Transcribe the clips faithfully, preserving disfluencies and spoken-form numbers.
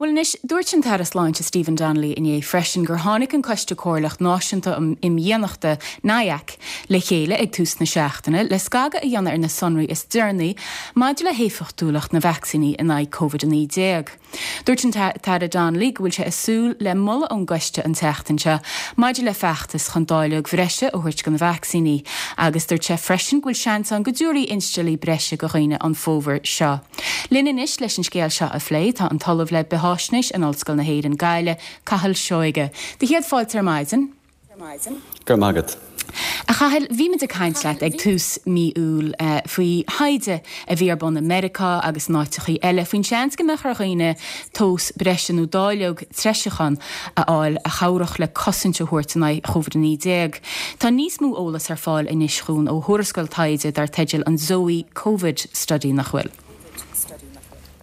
Bhuel anois, dúirt an tAire Sláinte Stephen Donnelly inné freisin gur tháinig an Coiste Comhairleach Náisiúnta um Imdhíonachta N I A C le chéile ag tús na seachtaine le scagadh a dhéanamh ar na sonraí is deireanaí maidir le héifeachtúlacht na vacsaíní in aghaidh COVID a naoi déag. Dúirt an tAire Donnelly go bhfuil sé ag súil le moladh ón gcoiste an tseachtain seo maidir le feachtas chun dáileog bhreise a thabhairt do na vacsaíní, agus dúirt sé freisin go bhfuil seans ann go dtabharfaí insteallaí breise do dhaoine an fómhar seo. Linn anois leis an scéal seo a phlé tá an tOllamh le Beathaisnéis in Ollscoil na hÉireann Gaillimh, Cathal Seoige. Do chéad fáilte ar maidin. Go magat. A Chathail, bhí muid ag caint leat ag tús mí Iúil uh, faoi thaighde a bhí ar bun i Meiriceá agus in áiteachaí eile, faoin seans go mbeadh ar dhaoine dós breise nó dáileog treisiúcháin a fháil a chabhródh le cosaint a thabhairt in aghaidh COVID a naoi déag. Tá níos mó eolas ar fáil anois chugainn ó thuarascáil taighde dar teideal an Zoe COVID Study, nach bhfuil?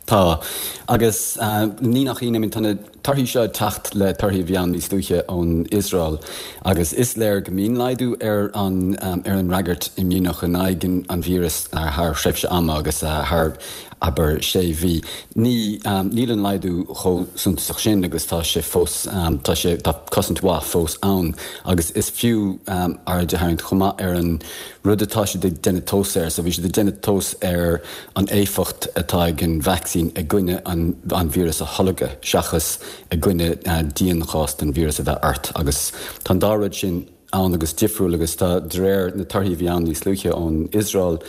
Tá agus uh, ní nach ionadh tá na torthaí seo teacht le torthaí a bhí ann níos luaithe ón Iosrael agus is léir go mbíonn laghdú ar an um, ar an fhreagairt imdhíonach in aghaidh an víreas uh, thar thréimhse ama agus uh, thar abair sé mhí. Ní um, níl an laghdú chomh suntasach sin agus tá sé fós um, tá sé tá cosaint mhaith fós ann agus is fiú um, aird a tharraingt chomh maith ar an rud atá siad ag déanamh tomhas air, so bhí siad ag déanamh tomhas ar an éifeacht atá ag an vacsaín i gcoinne an, an víreas a tholgadh seachas i gcoinne uh, dianchás den víreas a bheith ort agus tá an dá rud sin ann agus difriúil agus tá de réir na torthaí a bhí ann níos luaithe ón Iosrael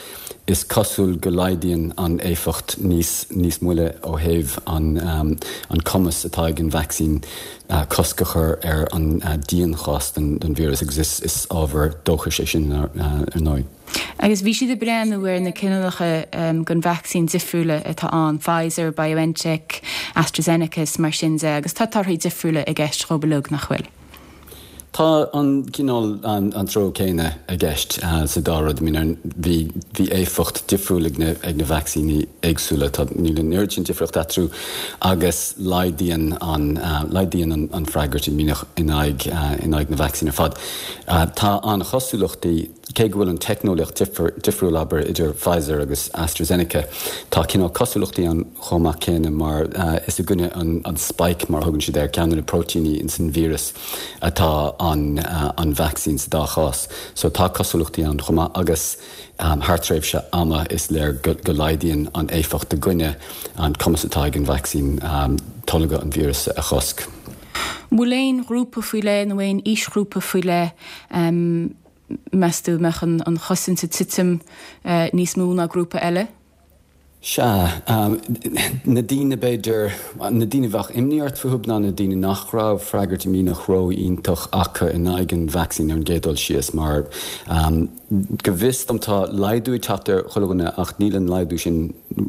is cosúil go laghdaíonn an éifeacht níos níos moille ó thaobh an um, an cumas atá ag an vacsaín uh, cosc a chur ar an uh, dianchás den, den víreas agus is, is ábhar dóchais é sin ar, uh, ar ndóigh. Agus bhí siad ag breathnú ar na cineálacha um, den vacsaín difriúla atá ann Pfizer, BioNTech, AstraZeneca mar sin de agus tá torthaí difriúla i gceist chomh maith, nach bhfuil. Tá an cineál an, an treo céanna i gceist uh, sa dá rud bhí bhí éifeacht difriúil ag na, ag na vacsaíní éagsúla tá níl an oiread sin difríocht eatarthu agus laghdaíonn an uh, laghdaíonn an, an freagairt imdhíonach in aghaidh uh, in aghaidh na vacsaín ar fad. Uh, tá an chosúlachtaí cé go bhfuil an teicneolaíocht difriúil abair idir Pfizer agus AstraZeneca tá cineál cosúlachtaí ann chomh maith céanna mar uh, is i gcoinne an, an spike mar thugann siad ar ceann na próitéiní in san víreas atá an, uh, an vacsaín sa dá chás. So tá cosúlachtaí ann chomh maith agus um, thar tréimhse ama is léir go, go laghdaíonn an éifeacht i gcoinne an cumas atá ag an vacsaín um, tolgadh an víreas a chosc. Bhfuil aon ghrúpa faoi leith nó aon aoisghrúpa faoi leith um, meas tú mbeadh an, an chosaint ag titim uh, níos mó ná grúpa eile? Sea, um, na daoine b'fhéidir na daoine bheadh imní ort fúthu ná na daoine nach raibh freagairt imdhíonach ró-iontach acu in aghaidh an vacsaín ar an gcéad dul síos mar um, go bhfios dom tá laghdú ag teacht ar chuile dhuine ach níl an laghdú sin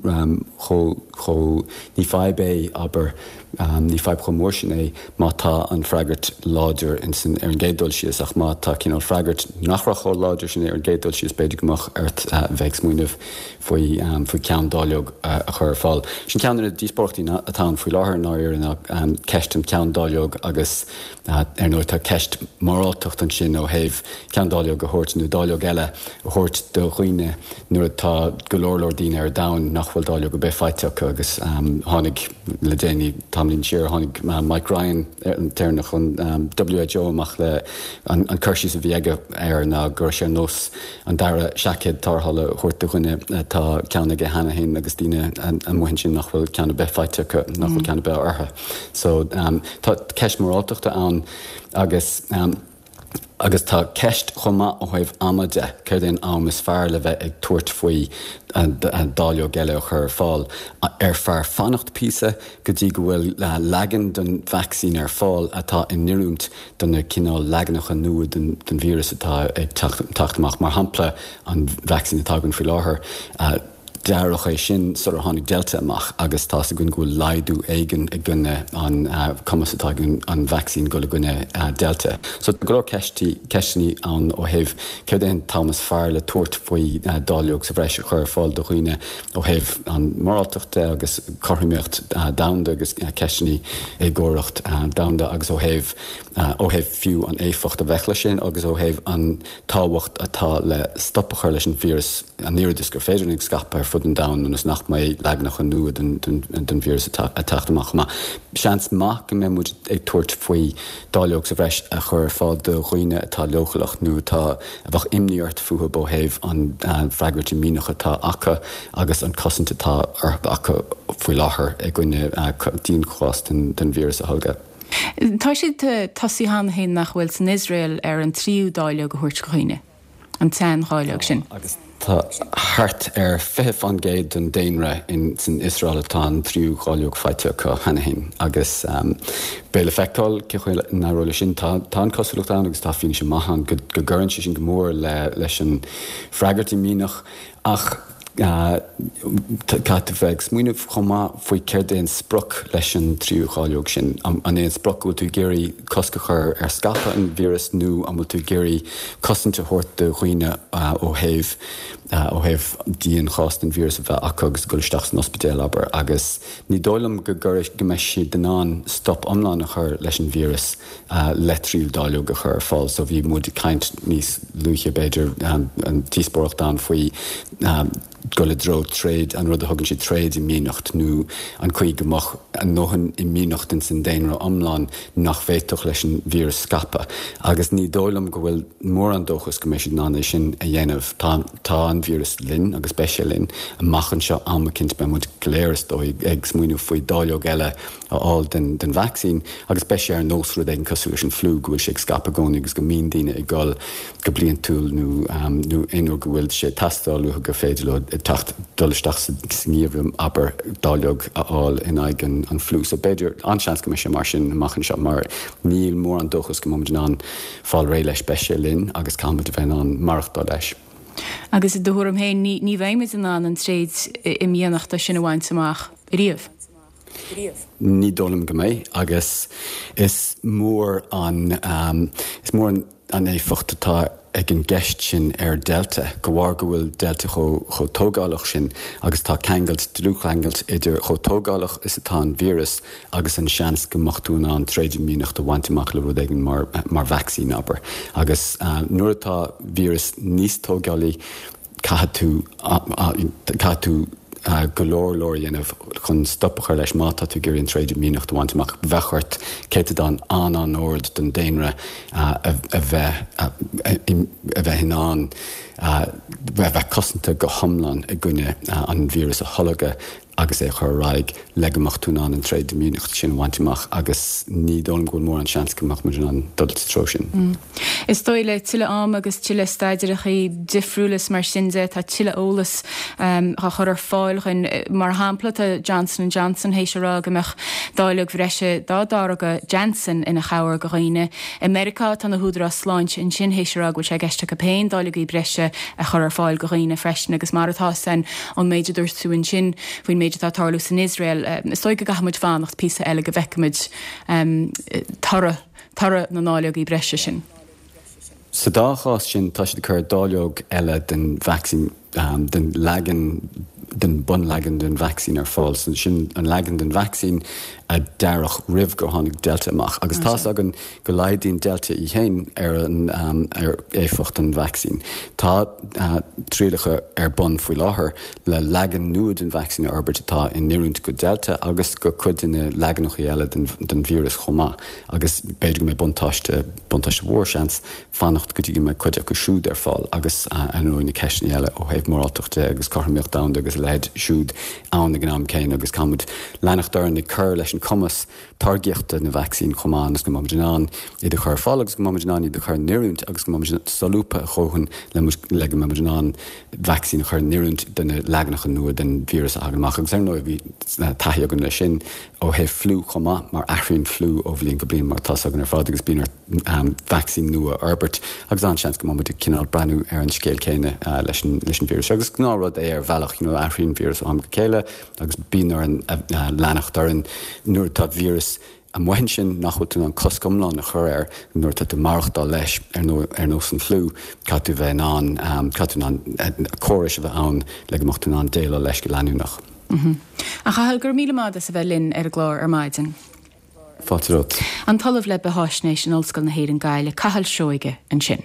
um, chomh ní fadhb é abair um, ní fadhb chomh mór sin é má tá an freagairt láidir in ar an gcéad dul síos ach má tá cineál freagairt nach raibh chomh láidir sin ar an gcéad dul síos b'fhéidir go mbeadh ort uh, bheith ag smaoineamh faoi um, faoi ceann dáileog uh, a chur ar fáil. Sin ceann de na díospóireachtaí atá ann faoi láthair ná ar an um, ceist an ceann dáileog agus uh, ar ndóigh tá ceist moráltacht ansin ó thaobh ceann dáileog a thabhairt nó dáileog eile a thabhairt do dhaoine nuair atá go leor leor daoine ar domhan nach bhfuil dáileog ar bith faighte acu agus um, tháinig le déanaí tamallín siar tháinig uh, Mike Ryan an tAire chun um, W H O amach le an, an cur síos a bhí aige air ná gur sé nós an dara seaicéad tarrthála a thabhairt do dhuine atá ceann aige cheana féin agus daoine amuigh ansin nach bhfuil ceann ar bith faighte acu nach bhfuil mm. ceann ar bith orthu. So um, tá ceist moráltachta ann agus um, agus tá ceist chomh maith ó thaobh ama de céard é an am is fearr le bheith ag tabhairt faoi dáileog eile a chur ar fáil ar fearr fanacht píosa go dtí go bhfuil leagan den vacsaín ar fáil atá in oiriúint do na cineál leaganacha nua den, den víreas atá ag teacht amach mar shampla an vacsaín atá againn faoi láthair. Uh, dearadh é sin sular tháinig Delta amach agus tá gun go bhfuil laghdú éigin i gcoinne an uh, cumas atá an vacsaín go i gcoinne uh, Delta. So go leor ceisteanna ann ó thaobh céard é an t-am is fearr le tabhairt faoi uh, dáileog sa bhreis a chur ar fáil do dhaoine ó thaobh an moráltachta agus cothromaíocht uh, domhanda agus uh, ceisteanna éagóracht uh, domhanda agus ó thaobh uh, ó thaobh fiú an éifeacht a bheadh leis sin agus ó thaobh an tábhacht atá le stop a chur leis an víreas an oiread is gur féidir ag scaipeadh ar fud an domhain ionas nach mbeidh leaganacha nua den den víreas ag teacht amach chomh maith. Seans maith go mbeidh muid ag tabhairt faoi dáileog sa bhreis a chur ar fáil do dhaoine atá leochaileach nó atá a bheadh imní ort fúthu ó thaobh an freagairt imdhíonach atá acu agus an cosaint atá acu faoi láthair i gcoinne dianchás den víreas a tholgadh. Tá siad tosaithe cheana féin nach bhfuil san Iosrael ar an tríú dáileog a thabhairt do dhaoine, an tsean-dháileog sin. Agus tá thart ar fiche faoin gcéad den daonra in san Iosrael atá an tríú dháileog faighte acu cheana féin agus beidh le feiceáil cén chaoi a n-éireoidh leis sin. Tá tá an cosúlacht ann agus tá fianaise maith ann go go gcuireann sé sin go mór le leis an freagairt imdhíonach ach Caithfidh tú bheith ag smaoineamh chomh maith faoi céard é an sprioc leis an tríú dháileog sin. An é an sprioc go bhfuil tú ag iarraidh cosc a chur ar scaipeadh an víreas nó an bhfuil tú ag iarraidh cosaint a thabhairt do dhaoine ó thaobh ó thaobh dianchás den víreas a bheith acu agus dul isteach san ospidéal, abair. Agus ní dóigh liom go go mbeidh siad in ann stop iomlán a chur leis an víreas le tríú dáileog a chur ar fáil. So bhí muid ag caint níos luaithe b'fhéidir, an díospóireacht ann faoi dul i dtreo tréad, an rud a thugann siad tréad-imdhíonacht, nó an chaoi go mbeadh a ndóthain imdhíonacht ins an daonra iomlán nach bhféadfadh leis an víreas scaipeadh. Agus ní dóigh liom go bhfuil mórán dóchas go mbeidh siad in ann é sin a dhéanamh. Tá, tá an víreas linn agus beidh sé linn amach anseo am eicínt beidh muid go léir is dóigh ag smaoineamh faoi dáileog eile a fháil den, den vacsaín agus beidh sé ar nós rud éigin cosúil leis an fliú go bhfuil sé ag scaipeadh i gcónaí agus go mbíonn daoine ag dul go bliantúil nó nó aon uair go bhfuil sé ag teastáil uathu gur féidir leo teacht dul isteach sa ngeimhreadh abair dáileog a fháil in aghaidh an an fliú. So b'fhéidir an-seans go mbeidh sé mar sin amach anseo mar níl mórán dóchas go mbeidh muid in ann fáil réidh leis. Beidh sé linn agus caithfidh muid a bheith in ann maireachtáil leis. Agus i do thuairim féin ní ní bheidh muid in ann an tréad-imdhíonachta sin a bhaint amach riamh? Ní dóigh liom go mbeidh agus is mór an is mór an an éifeacht atá ag an gceist sin ar Delta, de bharr go bhfuil Delta chomh chomh tógálach sin agus tá ceangailt, dlúthcheangailt idir chomh tógálach is atá an víreas agus an seans go mbeadh tú in ann tréad-imdhíonacht a bhaint amach le rud éigin mar mar vacsaín, abair. Agus nuair atá víreas níos tógálaí, caithfidh tú caithfidh tú go leor leor a dhéanamh chun stop a chur leis má tá tú ag iarraidh an tréad-imdhíonacht a bhaint amach. Bheadh ort céatadán an-an-ard den daonra a bheith a bheith in ann a bheith cosanta go hiomlán i gcoinne an víreas a tholgadh agus é a chur ar aghaidh le go mbeadh tú in ann an tréad-imdhíonacht sin a bhaint amach agus ní dóigh liom go bhfuil mórán seans go mbeadh muid in ann dul sa treo sin. Is dóigh le tuilleadh ama agus tuilleadh staidéarachaí difriúla is mar sin de, tá tuilleadh eolas á chur ar fáil chugainn. Mar shampla, tá Johnson and Johnson théis a rá go mbeadh dáileog bhreise dá dtáirge Janssen ina chabhair go dhaoine. I Meiriceá, tá na húdaráis sláinte ansin théis a rá go bhfuil sé i gceist acu féin dáileogaí breise a chur ar fáil go dhaoine freisin agus mar atá san ón méid a dúirt tú ansin faoin méid atá ag tarlú san Iosrael, is dóigh go gcaithfidh muid fanacht píosa eile go bhfeicfimid toradh toradh na ndáileogaí breise sin. Sa dá chás sin, tá siad ag cur dáileog eile den vacsaín, den leagan, den bunleagan den vacsaín ar fáil. Sin an leagan den vacsaín a dearadh roimh gur tháinig Delta amach. Agus tá's againn go laghdaíonn Delta í féin ar an ar éifeacht an vacsaín. Tá trialacha ar bun faoi láthair le leagan nua den vacsaín a fhorbairt atá in oiriúint go Delta agus go cuid de na leaganacha eile den den víreas chomh maith. Agus b'fhéidir go mbeidh buntáiste, buntáiste mhór, seans, fanacht go dtí go mbeidh cuid acu siúd ar fáil agus ar ndóigh na ceisteanna eile ó thaobh moráltacht de agus cothromaíocht domhanda agus a leithéid siúd ann ag an am céanna agus caithfimid leanacht orainn ag cur leis an cumas táirgíochta na vacsaín chomh maith ionas go mbeimid in ann iad a chur ar fáil agus go mbeimid in ann iad a chur in oiriúint agus go mbeimid solúbtha a dhóthain le le go mbeimid in ann vacsaín a chur in oiriúint do na leaganacha nua den víreas a thagann amach agus ar ndóigh bhí taithí againn leis sin ó thaobh fliú chomh maith mar athraíonn fliú ó bhliain go bliain mar atá 's againn ar fad agus bíonn ort vacsaín nua a fhorbairt agus an-seans go mbeidh muid ag cineál breathnú ar an scéal céanna leis an leis an víreas seo agus gnáthrud é ar bhealach, you know, athraíonn víreas ó am go chéile agus bíonn orainn leanacht orainn nuair atá víreas amuigh ansin nach bhfuil tú in ann cosc iomlán a chur air nuair atá tú ag maireachtáil leis ar ar nós an fliú caithfidh tú bheith in ann caithfidh tú in ann córais a bheith ann le go mbeadh tú in ann déileáil leis go leanúnach. A Chathail, go raibh míle maith agat as a bheith linn ar an gclár ar maidin. Fáilte romhat. An tOllamh le Beatháisnéis in Ollscoil na hÉireann Gaillimh, Cathal Seoige, ansin.